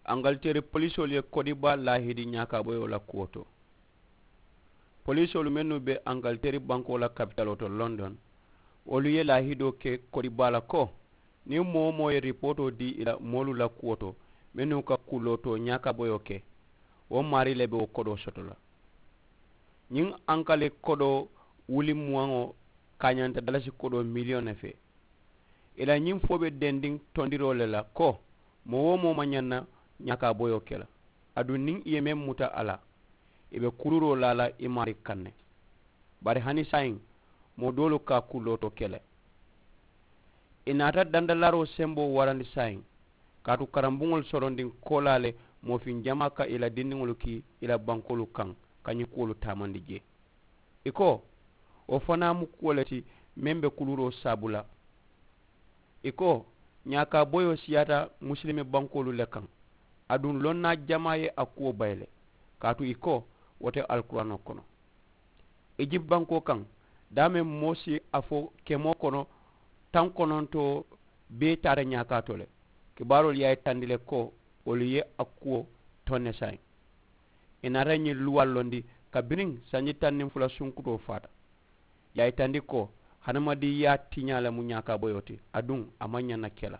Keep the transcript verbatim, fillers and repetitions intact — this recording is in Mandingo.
Angaliteeri polisoolu ye kodiba laahidi ñaakaaboyoo la kuwo to. Polisoolu mennu be angaliteeri bankoo la kapitaloo to london, wolu ye laahidoo ke kodiba la ko niŋ moo-wo-moo ye ripootoo dii ì la moolu la kuwo to mennu ka kulootoo ñaakaaboyoo ke, wo maarii le be wo kodoo soto la. Ñiŋ ankali kodoo wuli muwaŋo kaañanta dalasi kodoo miliyoŋ ne fee. Ì la ñiŋ fo be dendiŋ tondiroo le la ko moo-wo-moo maŋ ñaŋ na ñaakaaboyoo ke la. Aduŋ niŋ ì ye meŋ muta a la, ì be kuluuroo laa la ì maarii kaŋ ne. Bari hani saayiŋ, moo doolu ka a kulootoo ke le. Ì naata dandalaaroo semboo warandi saayiŋ, kaatu karambuŋolu sorondiŋ koolaa le, moofiŋ jamaa ka ì la dindiŋolu kii ì la bankoolu kaŋ ka ñiŋ kuwolu taamandi jee. Ì ko, wo fanaa mu kuwo le ti meŋ be kuluuroo saabu la. Ì ko, ñaakaaboyoo siyaata musilime bankoolu le kaŋ. Aduŋ lonnaa jamaa ye a kuwo bayi le. Kaatu ì ko, wo te alkuraanoo kono. Ijipti bankoo kaŋ, daameŋ moo si a fo kemoo kono taŋ konontoo bee taata ñaakaa to le. Kibaaroolu ye a yitandi le ko wolu ye a kuwo toŋ ne saayiŋ. Ì naata ñiŋ luwaalu londi kabiriŋ sanji taŋ niŋ fula sunkutoo faata. Ì ye a yitandi ko hadamadiŋyaa tiñaa le mu ñaakaaboyoo ti, aduŋ a maŋ ñaŋ na ke la.